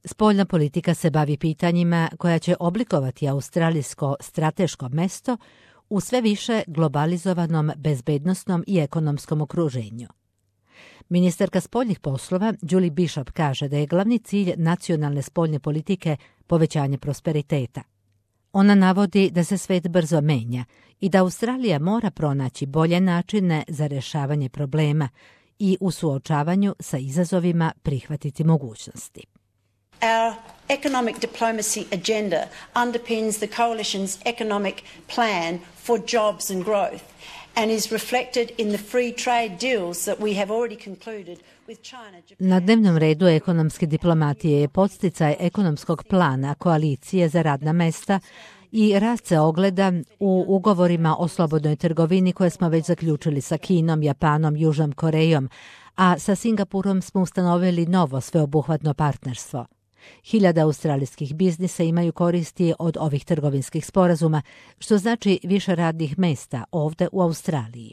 Spoljna politika se bavi pitanjima koja će oblikovati australijsko strateško mesto u sve više globalizovanom bezbednosnom i ekonomskom okruženju. Ministarka spoljnih poslova Julie Bishop kaže da je glavni cilj nacionalne spoljne politike povećanje prosperiteta. Ona navodi da se svet brzo menja i da Australija mora pronaći bolje načine za rješavanje problema i u suočavanju sa izazovima prihvatiti mogućnosti. Our economic diplomacy agenda underpins the coalition's economic plan for jobs and growth and is reflected in the free trade deals that we have already concluded with China, Japan. Na dnevnom redu ekonomske diplomatije je podsticaj ekonomskog plana koalicije za radna mesta i rast se ogleda u ugovorima o slobodnoj trgovini koje smo već zaključili sa Kinom, Japanom, Južnom Korejom, a sa Singapurom smo ustanovili novo sveobuhvatno partnerstvo. 1000 australijskih biznisa imaju koristi od ovih trgovinskih sporazuma, što znači više radnih mesta ovde u Australiji.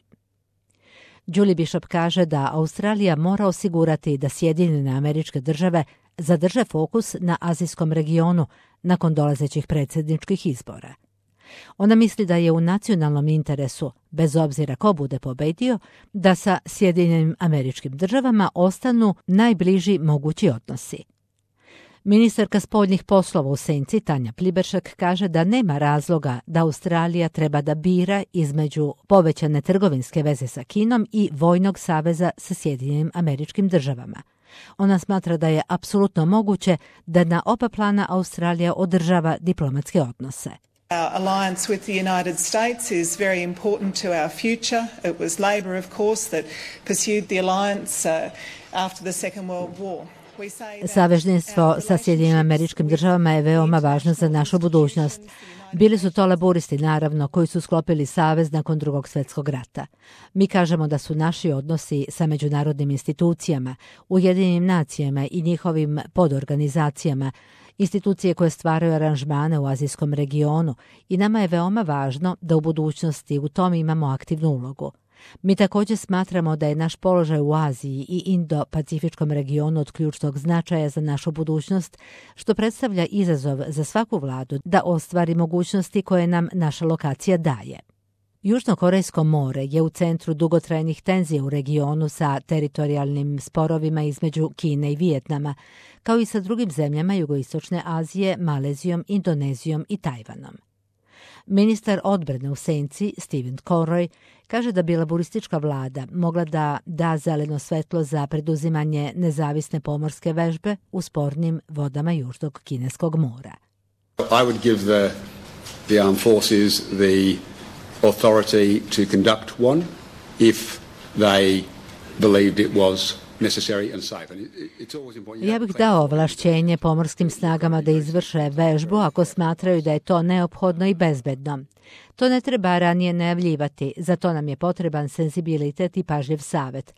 Julie Bishop kaže da Australija mora osigurati da Sjedinjene Američke Države zadrže fokus na azijskom regionu nakon dolazećih predsjedničkih izbora. Ona misli da je u nacionalnom interesu, bez obzira ko bude pobedio, da sa Sjedinjenim Američkim Državama ostanu najbliži mogući odnosi. Ministarka spoljnih poslova u senci Tanja Pliberšek kaže da nema razloga da Australija treba da bira između povećane trgovinske veze sa Kinom i vojnog saveza sa Sjedinjenim Američkim Državama. Ona smatra da je apsolutno moguće da na oba plana Australija održava diplomatske odnose. Our alliance with the United States is very important to our future. It was Labor, of course, that pursued the alliance after the Second World War. Savezništvo sa Sjedinjenim Američkim Državama je veoma važno za našu budućnost. Bili su to laburisti, naravno, koji su sklopili savez nakon Drugog svjetskog rata. Mi kažemo da su naši odnosi sa međunarodnim institucijama, Ujedinjenim nacijama i njihovim podorganizacijama, institucije koje stvaraju aranžmane u azijskom regionu, i nama je veoma važno da u budućnosti u tom imamo aktivnu ulogu. Mi također smatramo da je naš položaj u Aziji i Indo-Pacifičkom regionu od ključnog značaja za našu budućnost, što predstavlja izazov za svaku vladu da ostvari mogućnosti koje nam naša lokacija daje. Južnokorejsko more je u centru dugotrajnih tenzija u regionu sa teritorijalnim sporovima između Kine i Vijetnama, kao i sa drugim zemljama Jugoistočne Azije, Malezijom, Indonezijom i Tajvanom. Ministar odbrane u senci, Stephen Conroy, kaže da bi laburistička vlada mogla da da zeleno svetlo za preduzimanje nezavisne pomorske vežbe u spornim vodama Južnog Kineskog mora. I would give the armed forces the authority to conduct one if they believed it was necessary and safe. Ja bih dao ovlašćenje pomorskim snagama da izvrše vežbu ako smatraju da je to neophodno i bezbedno. To ne treba ranije najavljivati, za to nam je potreban senzibilitet i pažljiv savjet.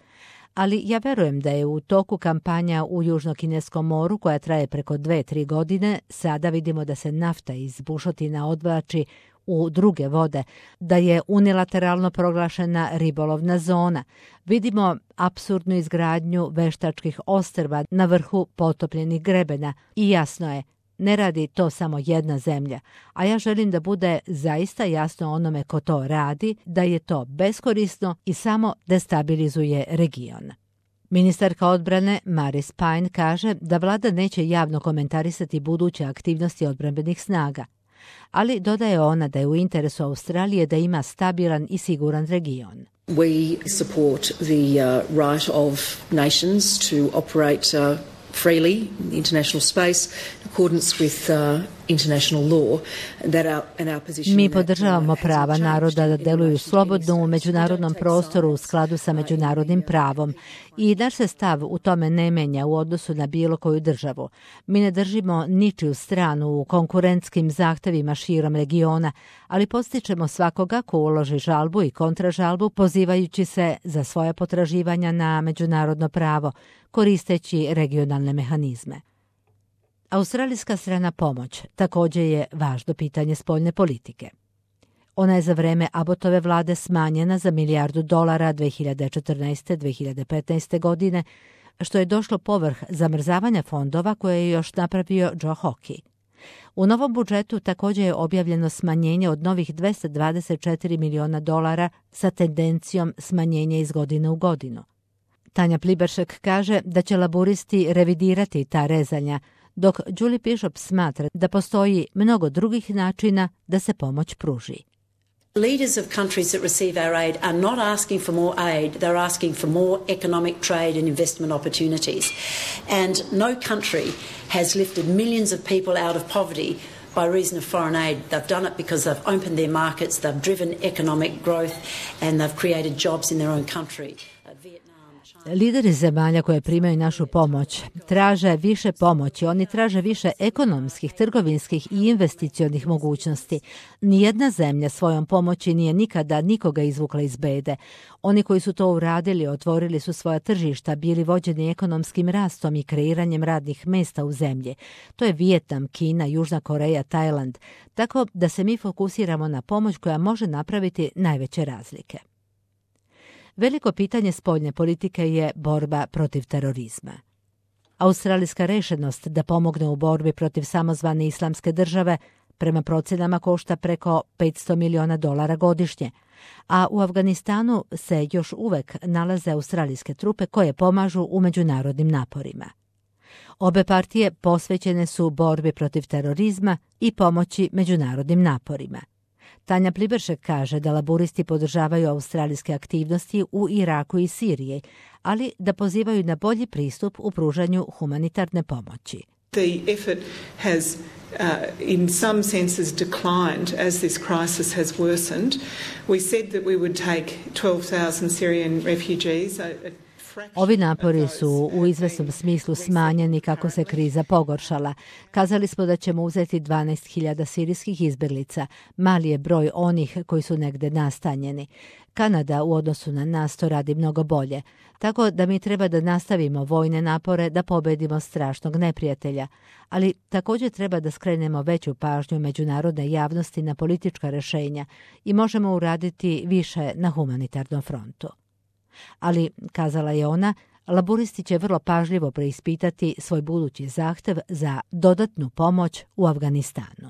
Ali ja verujem da je u toku kampanja u Južnokineskom moru, koja traje preko 2-3 godine, sada vidimo da se nafta iz bušotina odvlači u druge vode, da je unilateralno proglašena ribolovna zona. Vidimo apsurdnu izgradnju veštačkih ostrva na vrhu potopljenih grebena i jasno je, ne radi to samo jedna zemlja, a ja želim da bude zaista jasno onome ko to radi, da je to beskorisno i samo destabilizuje region. Ministarka odbrane Maris Payne kaže da vlada neće javno komentarisati buduće aktivnosti odbrambenih snaga, ali dodaje ona da je u interesu Australije da ima stabilan i siguran region. We support the right of nations to operate freely in the international space in accordance with international law. Mi podržavamo prava naroda da deluju slobodno u međunarodnom prostoru u skladu sa međunarodnim pravom i naš se stav u tome ne menja u odnosu na bilo koju državu. Mi ne držimo ničiju stranu u konkurentskim zahtevima širom regiona, ali podstičemo svakoga ko uloži žalbu i kontražalbu pozivajući se za svoja potraživanja na međunarodno pravo, koristeći regionalne mehanizme. Australijska strana pomoć također je važno pitanje spoljne politike. Ona je za vreme Abbotove vlade smanjena za $1 milijardu 2014. 2015. godine, što je došlo povrh zamrzavanja fondova koje je još napravio Joe Hockey. U novom budžetu također je objavljeno smanjenje od novih $224 miliona sa tendencijom smanjenja iz godine u godinu. Tanja Pliberšek kaže da će laburisti revidirati ta rezanja, dok Julie Bishop smatra da postoji mnogo drugih načina da se pomoć pruži. Leaders of countries that receive our aid are not asking for more aid, they're asking for more economic trade and investment opportunities. And no country has lifted millions of people out of poverty by reason of foreign aid. They've done it because they've opened their markets, they've driven economic growth and they've created jobs in their own country. Lideri zemalja koje primaju našu pomoć traže više pomoći, oni traže više ekonomskih, trgovinskih i investicionih mogućnosti. Nijedna zemlja svojom pomoći nije nikada nikoga izvukla iz bede. Oni koji su to uradili, otvorili su svoja tržišta, bili vođeni ekonomskim rastom i kreiranjem radnih mesta u zemlji. To je Vijetnam, Kina, Južna Koreja, Tajland. Tako da se mi fokusiramo na pomoć koja može napraviti najveće razlike. Veliko pitanje spoljne politike je borba protiv terorizma. Australijska rešenost da pomogne u borbi protiv samozvane islamske države prema procjenama košta preko $500 miliona godišnje, a u Afganistanu se još uvek nalaze australijske trupe koje pomažu u međunarodnim naporima. Obe partije posvećene su borbi protiv terorizma i pomoći međunarodnim naporima. Tanja Pliberšek kaže da laburisti podržavaju australijske aktivnosti u Iraku i Siriji, ali da pozivaju na bolji pristup u pružanju humanitarne pomoći. The effort has in some senses declined as this crisis has worsened. We said that we would take 12,000 Syrian refugees. Ovi napori su u izvesnom smislu smanjeni kako se kriza pogoršala. Kazali smo da ćemo uzeti 12.000 sirijskih izbjeglica. Mali je broj onih koji su negde nastanjeni. Kanada u odnosu na nas to radi mnogo bolje. Tako da mi treba da nastavimo vojne napore da pobedimo strašnog neprijatelja. Ali također treba da skrenemo veću pažnju međunarodne javnosti na politička rješenja i možemo uraditi više na humanitarnom frontu. Ali, kazala je ona, laburisti će vrlo pažljivo preispitati svoj budući zahtev za dodatnu pomoć u Afganistanu.